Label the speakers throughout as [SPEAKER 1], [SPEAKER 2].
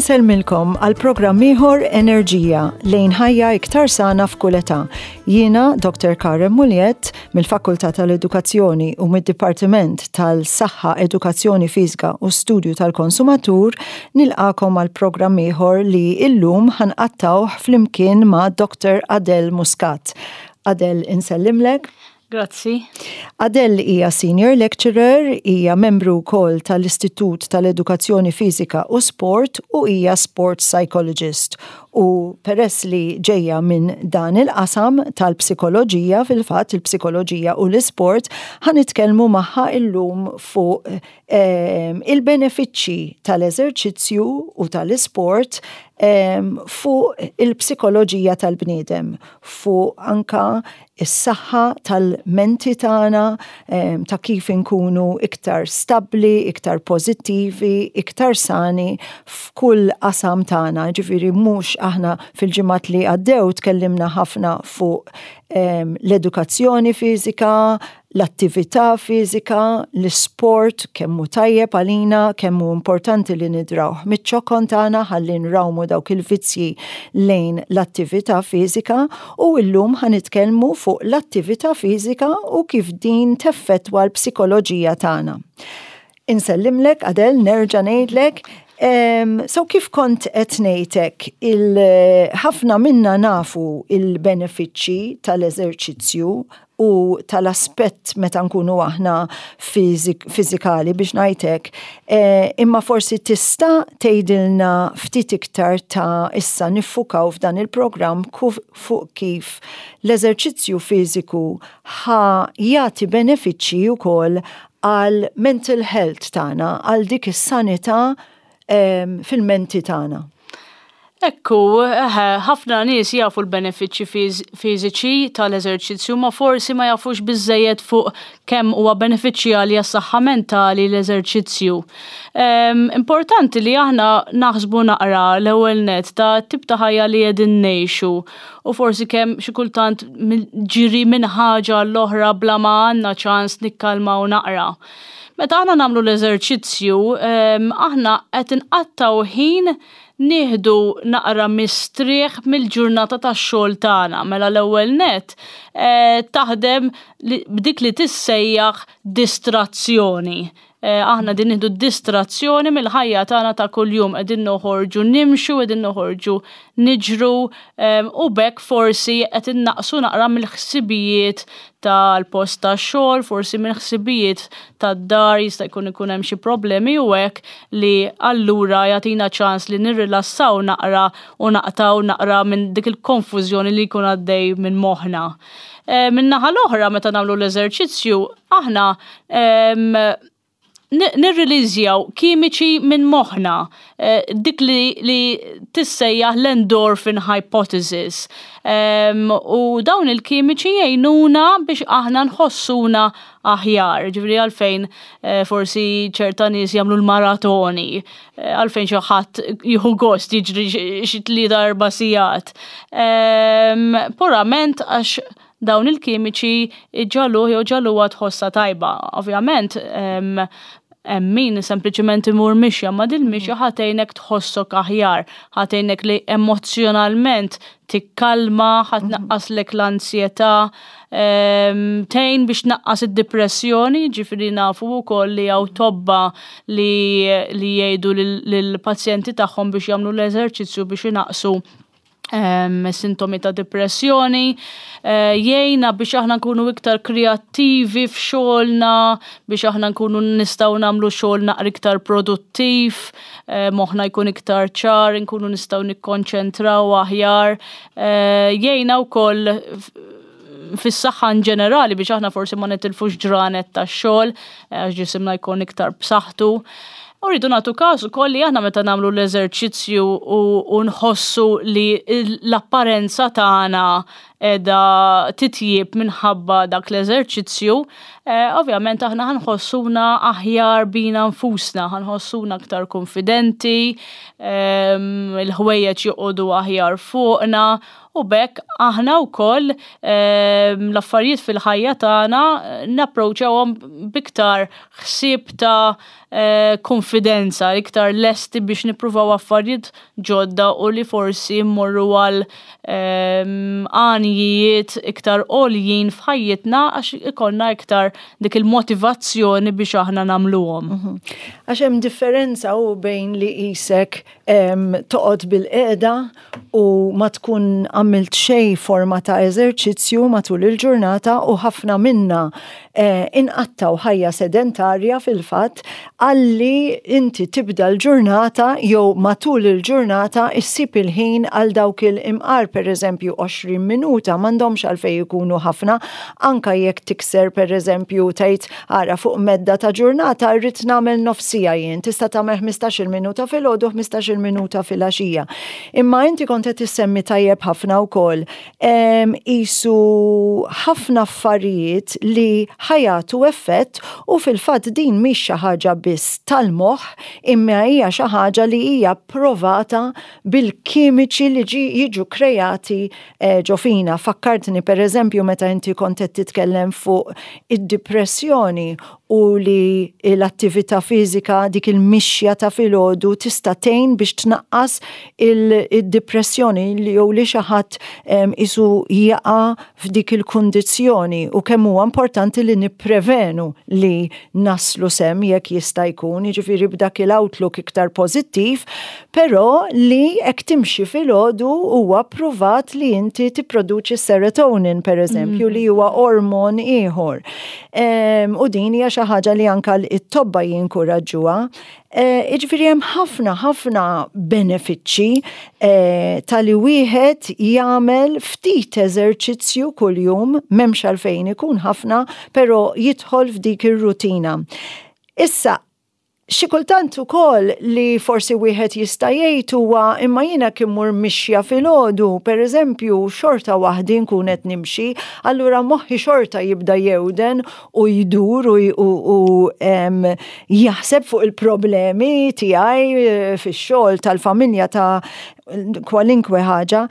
[SPEAKER 1] Insellmilkom għal programm ieħor Enerġija lejn ħajja iktar sana f'kull età. Jiena Dr. Karen Muliet mill-Fakultà tal-Edukazzjoni u mid-Dipartiment tal-Saħħa, Edukazzjoni Fiżika u Studju tal-Konsumatur nilqakom għal programm ieħor li illum ħanqattawh flimkien ma' Dr. Adele Muscat. Adele, insellimlek.
[SPEAKER 2] Grazzi.
[SPEAKER 1] Adele hija senior lecturer, hija membru wkoll tal-Istitut tal-Edukazzjoni Fiżika u Sport u hija sport psychologist U peress li ġejja minn dan il-qasam tal-psikoloġija, fil-fatt il-psikoloġija u l-isport, ħa nitkellmu magħha illum fuq ehm, il-benefiċċji tal-eżerċizzju u tal-isport ehm, fuq il-psikoloġija tal-bniedem, fuq anka is-saħħa tal-menti tagħna, ta' kif inkunu iktar stabbli, iktar pożittivi, iktar sani f'kull qasam tagħna. Ġifieri mhux aħna fil-ġimgħat li għaddew tkellimna ħafna fuq l-edukazzjoni fiżika, l-attività fiżika, l-isport, kemm hu tajjeb għalina, kemm hu importanti li nidrawh miċ-ċokon tagħna ħalli nrawmu dawk il-vizzji lejn l-attività fiżika u llum ħa nitkellmu fuq l-attività fiżika u kif din teffettwa l-psikoloġija tagħna. Insellimlek, Adel, nerġa' ngħidlek, So kif kont qed ngħidlek, ħafna minna nafu il-benefiċċji tal-eżerċizzju u tal-aspett meta nkunu aħna fiżikali biex ngħidlek, eh, imma forsi tista' tgħidilna ftit iktar ta' issa niffukaw f'dan il-programm fuq kif l-eżerċizzju fiżiku ħa jagħti benefiċċji wkoll għal mental health tagħna, għal dik is-sanità ehm, fil-menti tagħna.
[SPEAKER 2] Ekku, ħafna nies jafu l-benefiċċji fiżiċi tal-eżerċizzju ma forsi ma jafux biżejjed fuq kemm huwa benefiċjali għas-saħħa mentali l-eżerċizzju. Ehm, importanti li aħna naħsbu naqra l-ewwel net ta' tip ta' ħajja li qegħdin ngħixu u forsi kemm xi kultant ġiri minn ħaġa l-oħra bla ma għandna ċans nikkalmaw naqra. Meta aħna nagħmlu l-eżerċizzju, ehm, aħna qed inqattgħu ħin nieħdu naqra mistrieħ mill-ġurnata tax-xogħol tagħna. Mela l-ewwel net eh, taħdem b'dik li tissejjaħ distrazzjoni. Eh, aħna din nieħdu distrazzjoni mill-ħajja tagħna ta' kuljum qegħdin noħorġu nimxu, qegħdin noħorġu niġru ehm, u bekk forsi qed innaqsu naqra mill-ħsibijiet tal-post tax-xogħol, forsi mill-ħsibijiet tad-dar jista' jkun ikun hemm xi problemi u hekk li allura jagħtina ċans li nirrilassaw naqra u naqtaw naqra minn dik il-konfużjoni li jkun għaddej minn moħħna. Eh, min-naħa l-oħra meta nagħmlu l-eżerċizzju aħna nirriliżjaw kimiċi minn moħħna, eh, dik li, li tissejjaħ l-endorphin hypothesis. U dawn il-kimiċi jgħinuna biex aħna nħossuna aħjar, ġifieri għalfejn eh, forsi ċerta nies jagħmlu l-maratoni, eh, għalfejn xi ħadd jieħu gost jiġri xi tlieta erba' sigħat. Purament għax dawn il-kimiċi iġagħluh jew ġagħluha tħossha tajba. Ovvjament, hemm min sempliċement imur mixja, ma din mixja ħa tgħinek tħossok aħjar, ħa tgħinek li emozjonalment tikkalma, ħa tnaqqaslek l-ansjetà, tgħin biex tnaqqas id-dipressjoni, ġifieri nafu wkoll li hawn tobba li li jgħidu lill-pazjenti tagħhom biex jagħmlu l-eżerċizzju biex inaqqsu sintomi ta' depressjoni, eh, jgħinna biex aħna nkunu iktar kreattivi f'xogħolna, biex aħna nkunu nistgħu nagħmlu xogħol naqra iktar produttiv, eh, moħħna jkun iktar ċar, nkunu nistgħu nikkonċentraw aħjar, eh, jgħinna wkoll fis-saħħa in ġenerali biex aħna forsi ma nitilfux ġranet tax-xogħol, għax ġisimna jkun iktar b'saħħtu. U rridu nagħtu każ ukoll li aħna meta nagħmlu l-eżerċizzju u nħossu li l-apparenza tagħna qiegħda titjieb minħabba dak l-eżerċizzju, eh, ovvjament aħna ħanħossuna aħjar bina nfusna, ħanħossuna aktar konfidenti, ehm, il-ħwejjeġ joqogħdu aħjar fuqna u b'hekk aħna wkoll ehm, l-affarijiet fil-ħajja tagħna eh, napproċċawhom b'iktar ħsieb ta' eh, konfidenza, iktar lesti biex nippruvaw affarijiet ġodda u li forsi mmorru għal ehm, għanijiet iktar għoljin f'ħajjitna għax ikollna iktar dik il-motivazzjoni biex aħna nagħmluhom. Mhm.
[SPEAKER 1] Għax hemm differenza u bejn li qisek toqgħod bil-qiegħda u ma tkun għamilt xejn forma ta' eżerċizzju matul il-ġurnata u ħafna minna eh, inqattaw ħajja sedentarja fil-fatt għalli inti tibda l-ġurnata jew matul il-ġurnata issib il-ħin għal dawk il-imqar per eżempju 20 minuta m'għandhomx għalfejn ikunu ħafna anka jekk tikser per eżempju tgħid Ara, fuq medda ta' ġurnata rrid nagħmel nofs siegħa jien, tista' tagħmel 15-il minuta filgħodu, 15-il minuta filgħaxija. Imma inti kont qed issemmi tajjeb ħafna wkoll qisu ħafna affarijiet li ħajatu effett u fil-fatt din mhix xi ħaġa biss tal-moħħ imma hija xi ħaġa li hija provata bil-kimiċi li jiġu kreati eh, ġo fina. Fakkartni per eżempju meta inti kont qed titkellem fuq id-depressjoni u li l-attività fiżika dik il-mixja ta' filgħodu tista' tgħin biex tnaqqas il-depressjoni li jew li xi ħadd isu jaqa' f'dik il-kundizzjoni u kemm huwa importanti li nipprevenu li naslu sem jekk jista' jkun, jiġifieri b'dak il-outlook iktar pożittiv, però li hekk timxi filgħodu huwa ppruvat li inti tipproduċi serotonin pereżempju li huwa ormon ieħor. U din hija xi ħaġa li anka t-tobba jinkuraġġuha. Eh, jiġifieri hemm ħafna ħafna benefiċċji eh, tal-li wieħed jagħmel ftit eżerċizzju kuljum, m'hemmx għalfejn ikun ħafna, però jidħol f'dik ir-rutina. Issa, xi kultant ukoll li forsi wieħed jista' jgħid huwa imma jiena kien mur mixja filgħodu, pereżempju, xorta waħdi nkun qed nimxi, allura moħħi xorta jibda jewden u jdur u, u, u jaħseb fuq il-problemi tiegħi eh, fix-xogħol tal-familja ta' kwalinkwe ħaġa.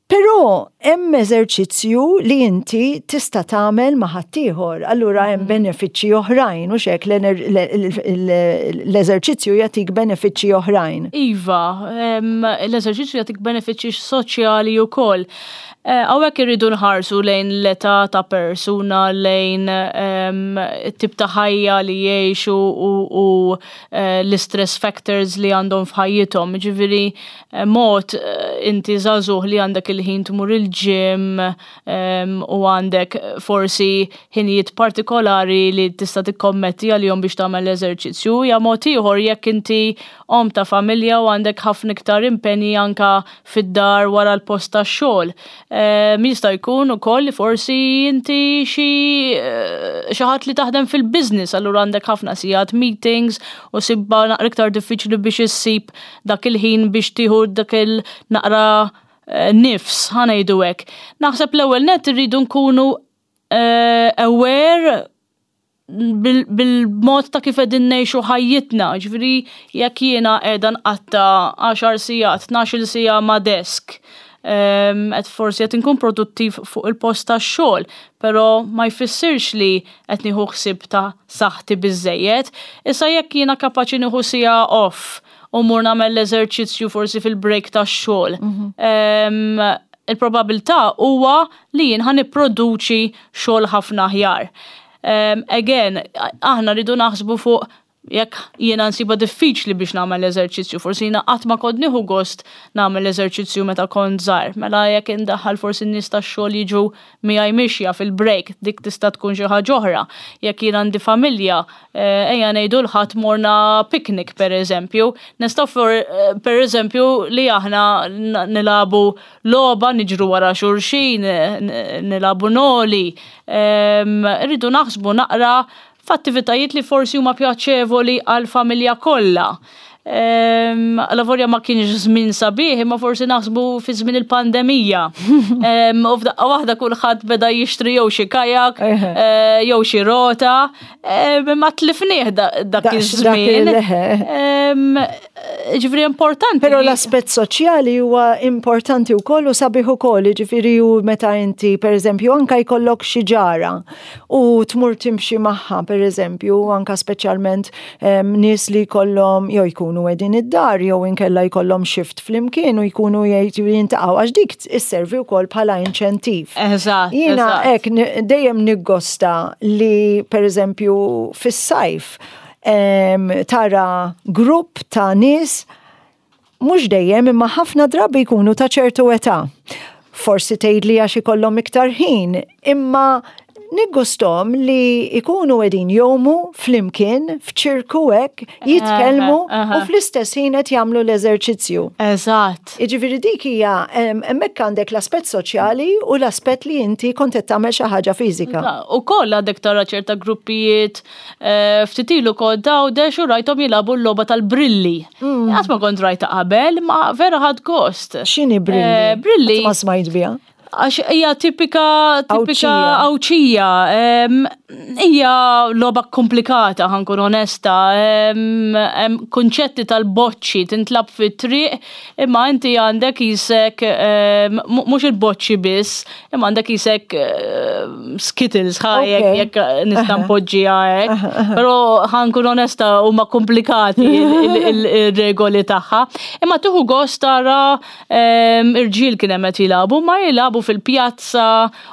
[SPEAKER 1] Però hemm eżerċizzju li inti tista' tagħmel ma' ħaddieħor, allura hemm mm. benefiċċji oħrajn u xek l-eżerċizzju jagħtik benefiċċji oħrajn.
[SPEAKER 2] Iva, l-eżerċizzju jagħtik benefiċċji soċjali wkoll. Eh, hawnhekk irridu nħarsu lejn l-età ta' persuna, lejn ehm, it-tip ta' ħajja li jgħixu u eh, l-istress factors li għandhom f'ħajjithom. Ġifieri eh, mod inti żagħżugħ li għandek il-ħin tmur il-ġim ehm, u għandek forsi ħinijiet partikolari li tista' tikkommetti għalihom biex tagħmel l-eżerċizzju. Ja mod ieħor jekk inti omm ta' familja u għandek ħafna iktar impenji anka fid-dar wara l-post tax-xogħol. Ehm, jista' jkun ukoll li forsi inti xi eh, xi ħadd li taħdem fil-business, allura għandek ħafna sigħat meetings u sibba naqra iktar diffiċli biex issib dak il-ħin biex tieħu dak il-naqra eh, nifs, ħanejdu hekk. Naħseb l-ewwel net irridu nkunu eh, aware bil-mod ta' kif qegħdin ngħixu ħajjitna, ġifieri jekk jiena qiegħda nqatta' 10 sigħat, 12-il siegħa ma' desk, ehm, qed forsi qed inkun produttiv fuq il-post tax-xogħol, però ma jfissirx li qed nieħu ħsieb ta' saħħti biżejjed. Issa jekk jiena kapaċi nieħu siegħa off u mmur nagħmel l-eżerċizzju forsi fil-break tax-xogħol, mhm. ehm, il-probabilità huwa li jien ħa nipproduċi xogħol ħafna aħjar. Um, again, aħna rridu naħsbu fuq jekk jiena nsiba diffiċli biex nagħmel eżerċizzju, forsi jiena qatt ma kont nieħu gost nagħmel eżerċizzju meta kont żgħar. Mela jekk indaħħal forsi n-nies tax-xogħol jiġu miegħi mixja fil-break, dik tista' tkun xi ħaġa oħra. Jekk jien għandi familja, eh, ejja ngħidu l-ħadd morna picnic pereżempju, nistgħu eh, pereżempju li aħna nilagħbu logħba niġru wara xulxin, nilagħbu noli. Irridu naħsbu naqra f'attivitajiet li forsi huma pjaċevoli għall-familja kollha. Alavolja ma kienx żmien sabiħ, imma forsi naħsbu fi żmien il-pandemija. U f'daqqa waħda kulħadd beda jixtri jew xi kajak, eh, jew xi rota, ma tlifnieh dak iż-żmien. Ġifieri importanti.
[SPEAKER 1] Però l-aspett soċjali huwa importanti wkoll u sabiħ ukoll, ġifieri u meta inti pereżempju anka jkollok xi ġara u tmur timxi magħha pereżempju, anka speċjalment nies li jkollhom jew jkunu qegħdin id-dar jew inkella jkollhom shift flimkien u jkunu jgħid jintaqgħu għax dik isservi wkoll bħala inċentiv.
[SPEAKER 2] Eżatt.
[SPEAKER 1] Jiena hekk dejjem niggosta li pereżempju fis-sajf tara grupp ta' nies mhux dejjem imma ħafna drabi jkunu ta' ċertu età. Forsi tgħidli għax ikollhom iktar ħin, imma niggustom li jkunu qegħdin jgħumu flimkien f'ċirku hekk, jitkellmu u fl-istess ħin qed jagħmlu l-eżerċizzju.
[SPEAKER 2] Eżatt.
[SPEAKER 1] Jiġifieri dik hija hemmhekk għandek l-aspett soċjali u l-aspett li inti kont qed tagħmel xi ħaġa fiżika.
[SPEAKER 2] Ukoll għandek tara ċerta gruppijiet eh, ftit ilu kont Għawdex u rajthom jilagħbu l-logħba tal-brilli. Mm. Qatt ma kont rajta qabel, ma vera ħadd gost.
[SPEAKER 1] X'inhi brilli? Eh,
[SPEAKER 2] brilli.
[SPEAKER 1] Ma smajt biha.
[SPEAKER 2] Għax hija tipika tipika Għawdxija. Hija logħba komplikata ħankun onesta. Hemm kunċetti tal-boċċi tintlab fit-triq imma inti għandek isek mhux il-boċċi biss, imma għandek isek skittles ħajek jekk nista' npoġġiha hekk. Però ħankun onesta huma komplikati il-regoli tagħha. Imma tieħu gost tara irġiel kien hemm qed jilagħbu, ma jilagħbu fil-pjazza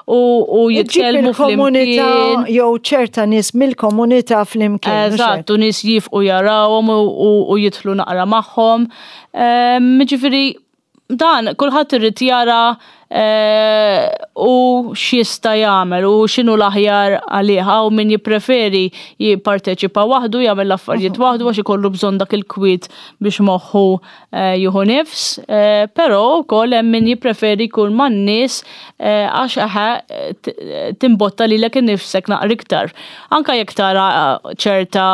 [SPEAKER 2] u jitkellmu
[SPEAKER 1] fil-komunità jew ċerta nies mill-komunità flimkien.
[SPEAKER 2] Eżatt, u nies jifqu jarawhom u jidħlu naqra magħhom. Ġifieri dan kulħadd irid jara eh, u x'jista' jagħmel u x'inhu l-aħjar għalih hawn min jippreferi jipparteċipa waħdu jagħmel l-affarijiet waħdu għax ikollu bżonn dak il-kwiet biex moħħu eh, jieħu nifs, eh, però wkoll hemm min jippreferi jkun man-nies eh, għax eħe timbotta lilek innifsek naqra iktar. Anka jekk tara ċerta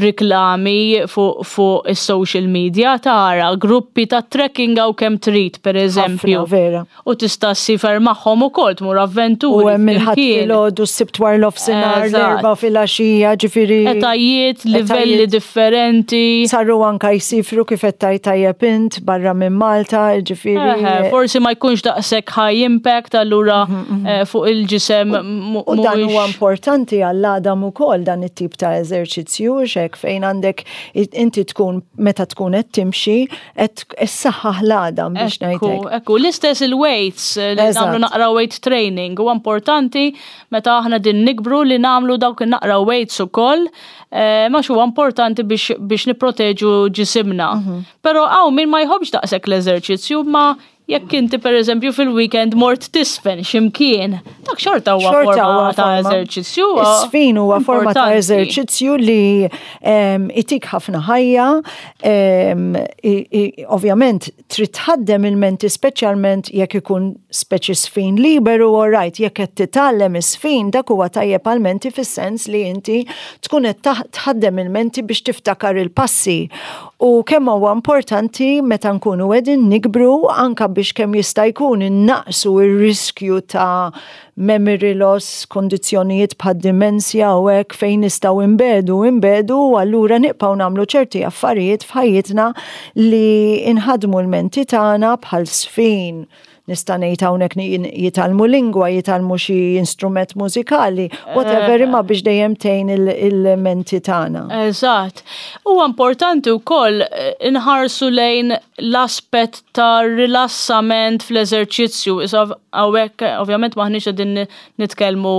[SPEAKER 2] riklami fuq fu is-social media tara gruppi ta' trekking hawn kemm trid pereżempju.
[SPEAKER 1] Vera.
[SPEAKER 2] U tista' ssifer magħhom ukoll tmur avventuri.
[SPEAKER 1] U hemm il-Ħadd filgħodu, s-Sibt wara nofsinhar, l-Erbgħa filgħaxija, ġifieri.
[SPEAKER 2] Etajiet, livelli differenti.
[SPEAKER 1] Saru anka jsifru kif qed tgħid tajjeb int barra minn Malta, ġifieri.
[SPEAKER 2] Forsi ma jkunx daqshekk high impact allura mhm, mhm. Eh, fuq il-ġisem.
[SPEAKER 1] U dan huwa importanti għall-għadam ukoll dan it-tip ta' eżerċizzju xek fejn għandek inti tkun meta tkun qed timxi qed issaħħaħ l-għadam biex ngħidlek.
[SPEAKER 2] Ekku, l-istess il-weights eh, li nagħmlu naqra weight training huwa importanti meta aħna din nikbru li nagħmlu dawk naqra weights ukoll eh, ma huwa importanti biex, biex nipproteġu ġisimna. Mhm. Però hawn min ma jħobbx daqshekk l-eżerċizzju ma Jekk inti pereżempju fil-weekend mort tisfen x'imkien, dak xorta huwa forma ta' eżerċizzju.
[SPEAKER 1] Is-sfin huwa forma ta' eżerċizzju li ehm, itik ħafna ħajja, ehm, ovvjament trid tħaddem il-menti speċjalment jekk ikun speċi sfin liberu all right, jekk qed titgħallem is-sfin dak huwa tajjeb għall-menti fis-sens li inti tkun qed tħaddem il-menti biex tiftakar il-passi. U kemm huwa importanti meta nkunu qegħdin nikbru anka biex kemm jista' jkun innaqsu r-riskju ta' memory loss, kondizzjonijiet bħad dimensja u hekk fejn nistgħu inbedu, inbedu u allura nibqgħu nagħmlu ċerti affarijiet f'ħajjitna li inħadmu l-menti tagħna bħal sfin, nista' ngħid hawnhekk jitgħallmu lingwa, jitgħallmu xi instrument mużikali, whatever imma biex dejjem tgħin il-menti tagħna.
[SPEAKER 2] Eżatt. Huwa importanti wkoll eh, inħarsu lejn l-aspett ta' rilassament fl-eżerċizzju. Issa hawnhekk ovvjament maħniex qegħdin nitkellmu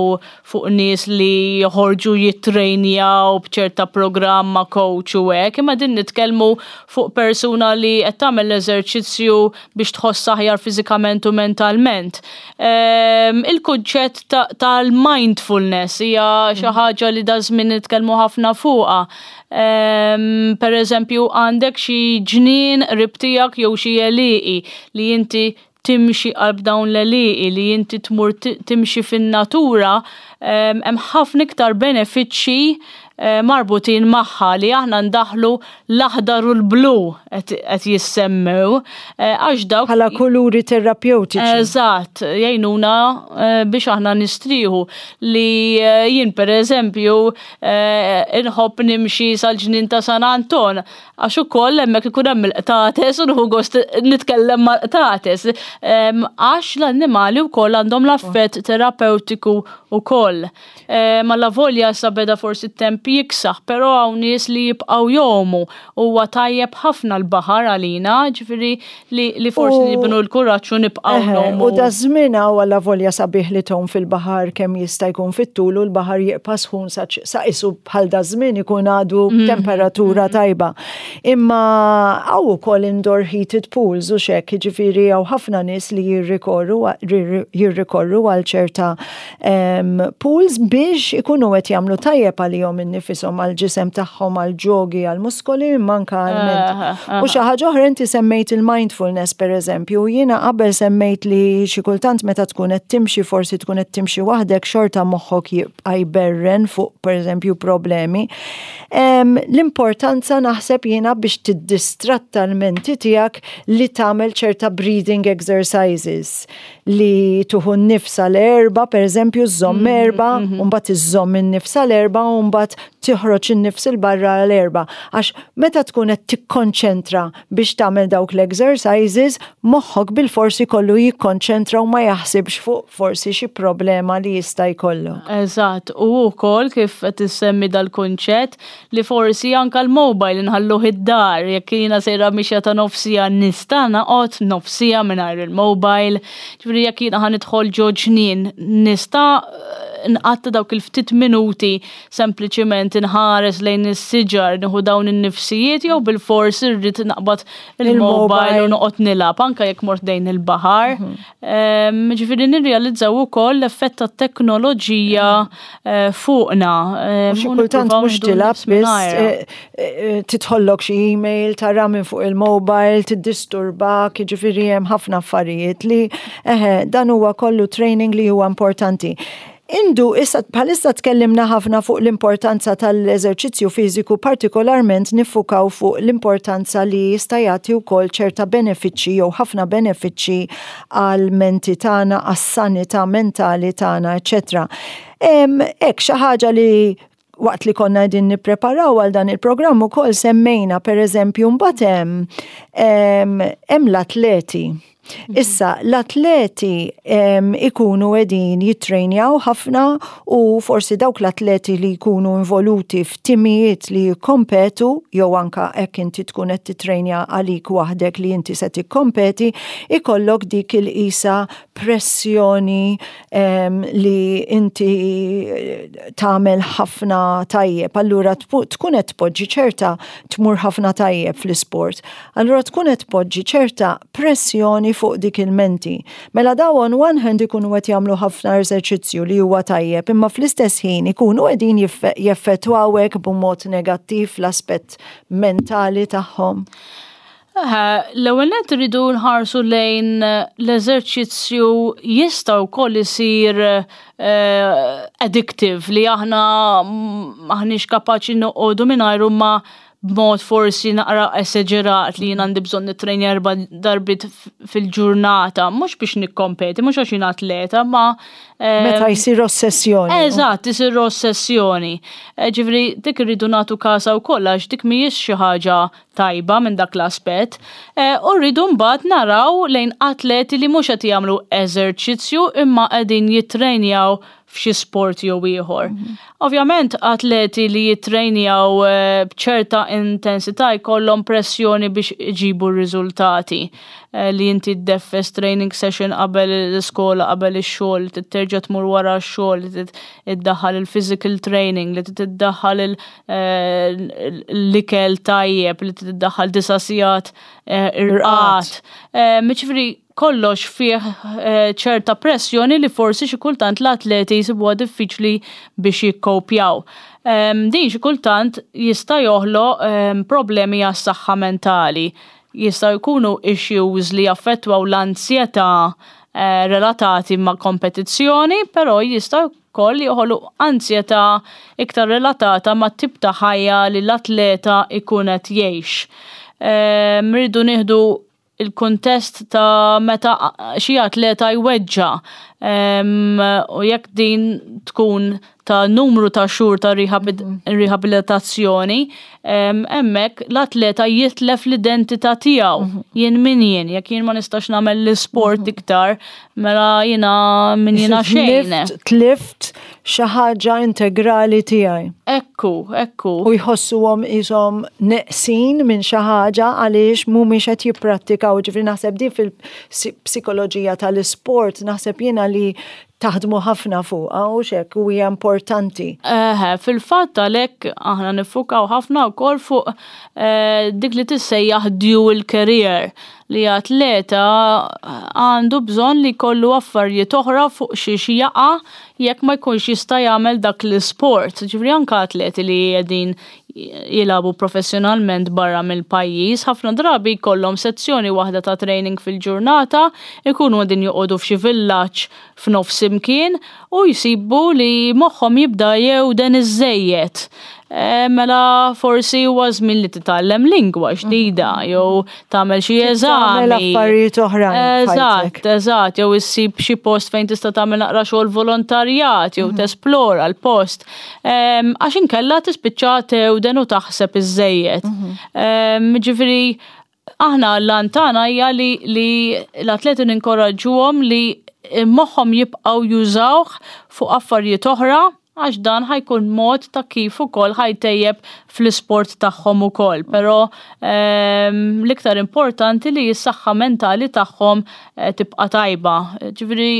[SPEAKER 2] fuq nies li joħorġu jittrejnjaw b'ċerta programm ma' coach u hekk, imma din nitkellmu fuq persuna li qed tagħmel l-eżerċizzju biex tħoss aħjar fiżikament u mentalment. Ehm, il-kunċett tal-mindfulness hija xi mm. ħaġa li da żmien nitkellmu ħafna fuqha. Ehm, per eżempju, għandek xi ġnien qrib tiegħek jew xi għelieqi li inti timxi qalb dawn l-għelieqi, li inti tmur timxi fin-natura, hemm ħafna iktar benefiċċji marbutin magħha li aħna ndaħħlu l-aħdar u l-blu qed jissemmew għax dawk
[SPEAKER 1] Bħala kuluri terapewtiċi.
[SPEAKER 2] Eżatt, jgħinuna biex aħna nistrieħu li jien pereżempju inħobb nimxi sal-ġnien ta' San Anton għax ukoll hemmhekk ikun hemm il-qtates u nieħu gost nitkellem mal-qtates għax l-annimali wkoll għandhom l-affett terapewtiku wkoll. Avolja issa beda forsi t-temp jiksaħ, però hawn nies li jibqgħu jgħumu. Huwa tajjeb ħafna l-baħar għalina, ġifieri li forsi nibnu l-kuraġġ u nibqgħu ngħumu.
[SPEAKER 1] U da żmien hawn avolja sabiħ li tgħum fil-baħar kemm jista' jkun fit-tul u l-baħar jibqa' sħun sa qisu bħal da żmien ikun għadu temperatura tajba. Imma hawn ukoll indoor heated pools u xek, jiġifieri hawn ħafna nies li jirrikorru għal ċerta pools biex ikunu qed jagħmlu tajjeb għalihom innifishom, għall-ġisem tagħhom, għall-ġogi, għall-muskoli, imma anke għall-menti. U xi ħaġa oħra inti semmejt il-mindfulness pereżempju, jiena qabel semmejt li xi kultant meta tkun qed timxi forsi tkun qed timxi waħdek xorta moħħok jibqa' jberren fuq pereżempju problemi. L-importanza naħseb jiena biex tiddistratta l-menti tiegħek li tagħmel ċerta breathing exercises li tieħu n-nifs għal erbgħa, per eżempju, żżomm erbgħa, u mbagħad iżżomm in-nifs għal erbgħa u mbagħad tiħroġ in-nifs 'il barra għal erbgħa. Għax meta tkun qed tikkonċentra biex tagħmel dawk l-exercises, moħħok bilforsi kollu jikkonċentra u ma jaħsibx fuq forsi xi problema li jista' jkollok.
[SPEAKER 2] Eżatt, u wkoll kif qed issemmi dal-kunċett li forsi anka l-mobile nħalluh id-dar, jekk jiena sejra mixja ta' nofsija nista' noqgħod nofsija mingħajr il-mobile, ġifieri jekk jiena ħa nidħol ġo ġnien nista' nqatta' dawk il-ftit minuti sempliċiment inħares lejn is-siġar, nieħu dawn in-nifsijiet jew bilfors irrid naqbad il-mobile u noqgħod nilgħab anke jekk mort dejn il-baħar. Ġifieri nirrealizzaw ukoll l-effett tat-teknoloġija fuqna.
[SPEAKER 1] U xi kultant mhux tilgħab biss tidħollok xi email tara minn fuq il-mobile, tiddisturbak, jiġifieri hemm ħafna affarijiet li eħe dan huwa kollu training li huwa importanti. Indu, issa bħalissa tkellimna ħafna fuq l-importanza tal-eżerċizzju fiżiku, partikolarment niffukaw fuq l-importanza li jista' jagħti wkoll ċerta benefiċċji jew ħafna benefiċċji għall-menti tagħna, għas-sanità mentali tagħna, eċċetera. Hekk xi ħaġa li waqt li konna qegħdin nippreparaw għal dan il-programm ukoll semmejna pereżempju mbagħad hemm hemm l-atleti. Issa, l-atleti ikunu qegħdin jittrejnjaw ħafna u forsi dawk l-atleti li jkunu involuti f'timijiet li jikkompetu jew anka hekk inti tkun qed titrejnja għalik waħdek li inti se tikkompeti, ikollok dik il-qisa pressjoni li inti tagħmel ħafna tajjeb. Allura tkun qed tpoġġi ċerta tmur ħafna tajjeb fl-isport. Allura tkun qed tpoġġi ċerta pressjoni fuq dik il-menti. Mela daw on one hand ikunu qed jagħmlu ħafna eżerċizzju li huwa tajjeb, imma fl-istess ħin ikunu qegħdin jeffettwawek b'mod negattiv l-aspett mentali tagħhom.
[SPEAKER 2] L-ewwel nett irridu nħarsu lejn l-eżerċizzju jista' wkoll isir addictive li aħna maħniex kapaċi noqogħdu mingħajru ma b'mod forsi naqra esaġerat li jien għandi bżonn nittrejnja erba' darbiet fil-ġurnata, mhux biex nikkompeti, mhux għax jien atleta, ma
[SPEAKER 1] Meta jsir ossessjoni.
[SPEAKER 2] Eżatt, isir ossessjoni. Ġifieri dik irridu nagħtu kasha wkoll għax dik mhijiex xi ħaġa tajba minn dak l-aspett. U rridu mbagħad naraw lejn atleti li mhux qed jagħmlu eżerċizzju imma qegħdin jittrejnjaw f'xi sport jew ieħor. Ovvjament atleti li jittrejnjaw b'ċerta intensità jkollhom pressjoni biex iġibu r-riżultati. Li inti ddeffes training session qabel l-iskola, qabel ix-xogħol, li terġa' tmur wara x-xogħol, li tiddaħħal il-physical training, li tiddaħħal l-ikel tajjeb, li tiddaħħal disa' sigħat irqad. Jiġifieri kollox fih ċerta pressjoni li forsi xi kultant l-atleti jsibuha diffiċli biex jikkopjaw. Din xi kultant jista' joħloq problemi għas-saħħa mentali. Jistgħu jkunu issues li jaffettwaw l-ansjetà relatati ma' kompetizzjoni, però jistgħu wkoll joħolqu ansjetà iktar relatata ma' tip ta' ħajja li l-atleta jkun qed jgħix. Rridu nieħdu il-kuntest ta' meta xi atleta jweġġa' u jekk din tkun ta' numru ta' xhur ta' rehabilitazzjoni, hemmhekk l-atleta jitlef l-identità tiegħu. Jien min jien, jekk jien ma nistax nagħmel l-isport iktar, mela jiena min jiena xejn.
[SPEAKER 1] Tlift xi ħaġa integrali tiegħi.
[SPEAKER 2] Ekku, ekku.
[SPEAKER 1] U jħossuhom qishom neqsin minn xi ħaġa għaliex mhumiex qed jipprattikaw. Ġifieri naħseb din fil-psikoloġija tal-isport naħseb jiena li taħdmu ħafna fuqha u xek u hija importanti.
[SPEAKER 2] Eħe, fil-fatt għalhekk aħna niffukaw ħafna wkoll fuq eh, dik li tissejjaħ dual career li atleta għandu bżonn li jkollu affarijiet oħra fuq xiex jaqa' jekk ma jkunx jista' jagħmel dak l-isport. Ġifieri anke atleti li qegħdin jilagħbu professjonalment barra mill-pajjiż, ħafna drabi jkollhom sezzjoni waħda ta' training fil-ġurnata, ikunu qegħdin joqogħdu f'xi villaġġ f'nofs imkien u jsibu li moħħhom jibda jewden iżżejjed. Eh, mela forsi huwa żmien li titgħallem lingwa ġdida jew tagħmel xi eżami.
[SPEAKER 1] Tagħmel affarijiet oħrajn.
[SPEAKER 2] Eżatt, eżatt, jew issib xi post fejn tista' tagħmel naqra xogħol volontarjat jew mhm. tesplora l-post. Għax inkella tispiċċa tewden u taħseb iżżejjed. Mhm. Ġifieri aħna l-lan tagħna hija li l-atleti ninkoraġġuhom li moħħhom jibqgħu jużawh fuq affarijiet oħra għax dan ħajkun mod ta' kif ukoll ħajtejjeb fl-isport tagħhom ukoll. Però l-iktar importanti li s-saħħa mentali tagħhom tibqa' tajba. Ġifieri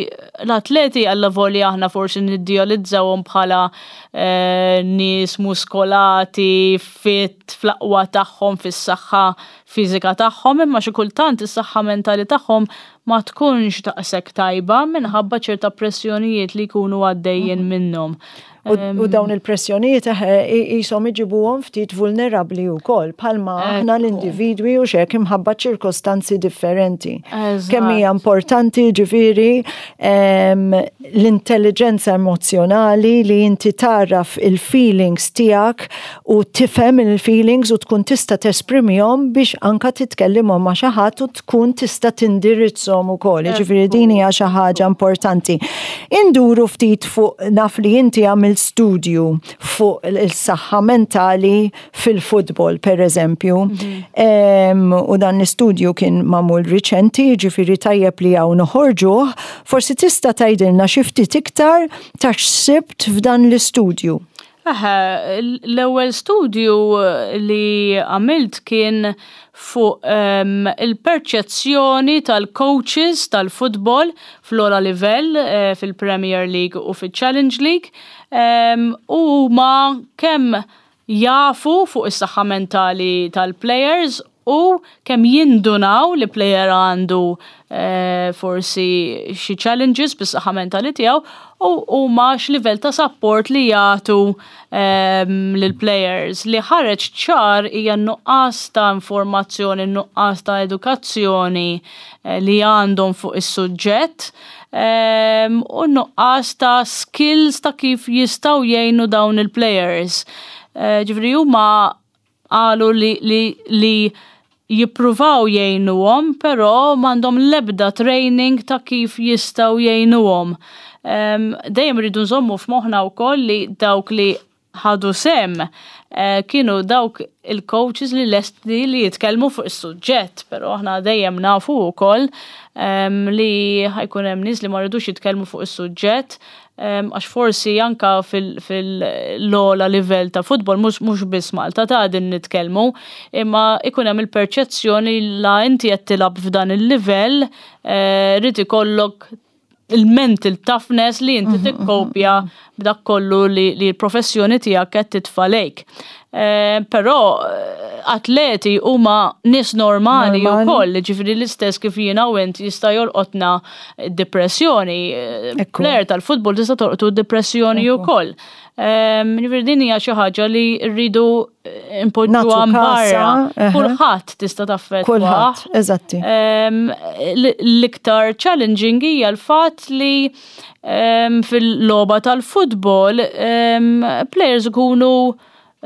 [SPEAKER 2] l-atleti allavolja aħna forsi niddijalizzawhom bħala eh, nies muskolati, fit, fl-aqwa tagħhom, fis-saħħa fiżika tagħhom, imma xi kultant is-saħħa mentali tagħhom ma tkunx daqshekk tajba minħabba ċerta pressjonijiet li jkunu għaddejjin mhm. minnhom.
[SPEAKER 1] U dawn il-pressjonijiet jisom iġibuhom ftit vulnerabbli wkoll bħalma aħna l-individwi u xek imħabba ċirkostanzi differenti. Kemm hija importanti ġifieri l-intelligenza emozjonali li inti taraf il-feelings tiegħek u tifhem il-feelings u tkun tista' tesprimihom biex anka titkellimhom ma' xi ħadd u tkun tista' tindirizzhom ukoll. Ġifieri din hija xi ħaġa importanti. Induru ftit fuq naf li inti għamilt studju fuq il-saħħa mentali fil-futbol per eżempju. Mhm. U dan l-istudju kien magħmul riċenti, ġifieri tajjeb li hawn noħorġuh, forsi tista' tgħidilna xi ftit iktar ta' x'sibt f'dan l-istudju.
[SPEAKER 2] Eħe, l-ewwel studju li għamilt kien fuq ehm, il-perċezzjoni tal-coaches tal-futbol fl-ogħla livell eh, fil-Premier League u fil-Challenge League ehm, u huma kemm jafu fuq is-saħħa mentali tal-players u kemm jindunaw li player għandu eh, forsi xi challenges bis-saħħa mentali tiegħu u huma x'livell ta' support li jagħtu ehm, lill-players li ħareġ ċar hija nuqqas ta' informazzjoni, nuqqas ta' edukazzjoni eh, li għandhom fuq is-suġġett ehm, u nuqqas ta' skills ta' kif jistgħu jgħinu dawn il-players. Eh, ġifieri huma qalu li, li, li jippruvaw jgħinuhom, però m'għandhom l-ebda training ta' kif jistgħu jgħinuhom. Ehm, dejjem rridu nżommu f'moħħna wkoll li dawk li ħadu sem eh, kienu dawk il-coaches li lesti li jitkellmu fuq is-suġġett, però aħna dejjem nafu wkoll ehm, li ħajkun hemm nies li ma rridux jitkellmu fuq is-suġġett għax forsi anka fil-ogħla livell ta' futbol mhux biss Malta ta' din nitkellmu, imma ikun hemm il-perċezzjoni la inti qed tilgħab f'dan il-livell eh, rid ikollok il-mental toughness li inti mhm, mhm, tikkopja mhm. b'dak kollu li l-professjoni tiegħek qed titfa' lejk. Eh, però eh, Atleti huma nies normali wkoll, ġifieri l-istess kif jiena u int jista' jolqotna depressjoni. Player tal-futbol tista' tolqtu depressjoni wkoll. Ġifieri din hija xi ħaġa li rridu impoġġuha barra. Kulħadd tista' taffettwa.
[SPEAKER 1] Kulħadd, eżatti.
[SPEAKER 2] L-iktar challenging hija l-fatt li fil-logħba tal-futbol players ikunu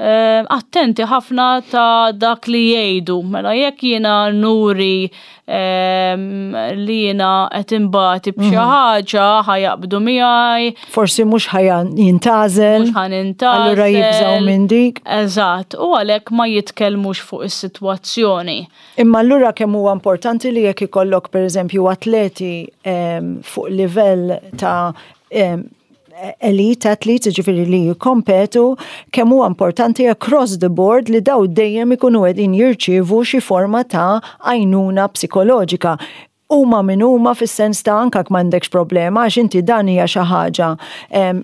[SPEAKER 2] attenti ħafna ta' dak li jgħidu. Mela jekk jiena nuri li jiena qed inbati b'xi ħaġa ħa jaqbdu miegħi.
[SPEAKER 1] Forsi mhux ħa jintgħażel.
[SPEAKER 2] Mhux ħa nintgħażel.
[SPEAKER 1] Allura jibżgħu minn dik.
[SPEAKER 2] Eżatt, u għalhekk ma jitkellmux fuq is-sitwazzjoni.
[SPEAKER 1] Imma allura kemm huwa importanti li jekk ikollok pereżempju atleti fuq livell ta' elite athletes, ġifieri li jikkompetu, kemm huwa importanti across the board li daw dejjem ikunu qegħdin jirċievu xi forma ta' għajnuna psikoloġika. Huma min huma fis-sens ta' anke m'għandekx problema għax inti dan hija xi ħaġa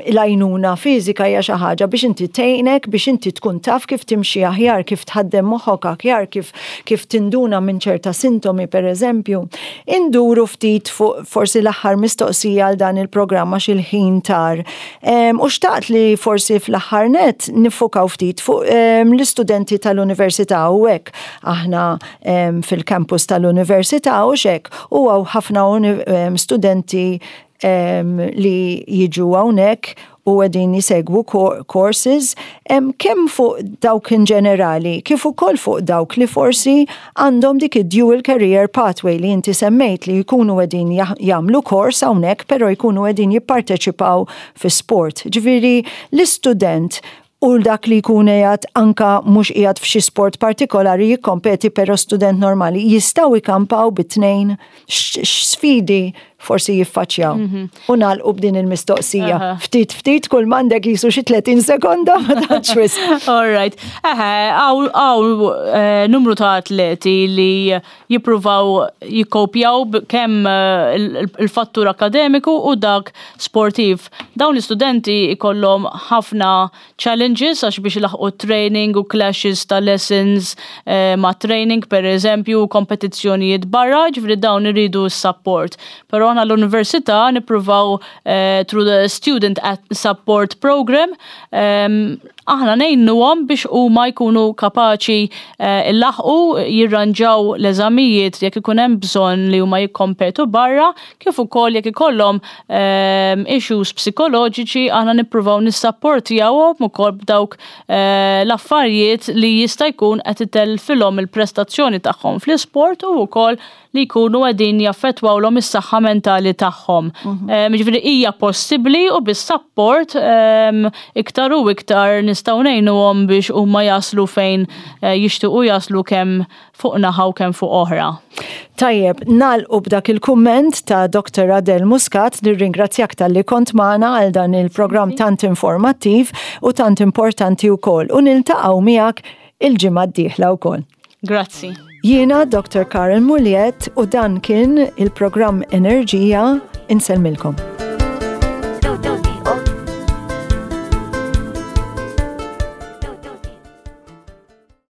[SPEAKER 1] l-għajnuna fiżika hija xi ħaġa biex inti tgħinek biex inti tkun taf kif timxi aħjar, kif tħaddem moħħok aħjar, kif kif tinduna minn ċerta sintomi pereżempju. Induru ftit fuq forsi l-aħħar mistoqsija għal dan il-programm għax il-ħin tar. U xtaqt li forsi fl-aħħar net niffukaw ftit fuq l-istudenti tal-università u hekk aħna fil-campus tal-università u xek u hawn ħafna studenti li jiġu hawnhekk u qegħdin jisegwu courses kemm fuq dawk in ġenerali kif ukoll fuq dawk li forsi għandhom dik id-dual career pathway li inti semmejt li jkunu qegħdin jagħmlu kors hawnhekk però jkunu qegħdin jipparteċipaw fi sport. Ġifieri l-istudent u dak li jkun qiegħed anka mhux qiegħed f'xi sport partikolari jikkompeti però student normali jistgħu jkampaw bit-tnejn x'sfidi forsi jiffaċċjaw. U nagħlqu b'din il-mistoqsija. Ftit ftit kull m'għandek jisu xi 30 sekonda ma tantx wisq.
[SPEAKER 2] All right. Eħe, hawn numru ta' atleti li jippruvaw jikkopjaw kemm il-fattur akademiku u dak sportiv. Dawn l-istudenti ikollhom ħafna challenges għax biex ilaħqu training u clashes ta' lessons ma' training per eżempju, kompetizzjonijiet barra, ġifieri dawn iridu s-support. Però aħna l-università nippruvaw through the Student Support Program aħna ngħinuhom biex huma jkunu kapaċi illaħqu jirranġaw l-eżamijiet jekk ikun hemm bżonn li huma jikkompetu barra, kif ukoll jekk ikollhom issues psikoloġiċi aħna nippruvaw nissapportjawhom ukoll b'dawk l-affarijiet li jista' jkun qed itellfilhom il-prestazzjoni tagħhom fl-isport u wkoll li jkunu qegħdin jaffettwawlhom is-saħħa mentali tagħhom. Ġifieri hija possibbli u bis-support iktar u iktar nistgħu ngħinuhom biex huma jaslu fejn jixtiequ jaslu kemm fuq naħa u kemm fuq oħra.
[SPEAKER 1] Tajjeb, nagħlqu b'dak il-kumment ta' Dr. Adele Muscat, nirringrazzjak talli kont magħna għal dan il-programm tant informattiv u tant importanti wkoll u niltaqgħu miegħek il-ġimgħa d-dieħla wkoll.
[SPEAKER 2] Grazzi.
[SPEAKER 1] Jiena Dr. Karen Muliet u dan kien il-programm Enerġija. Insellmilkom.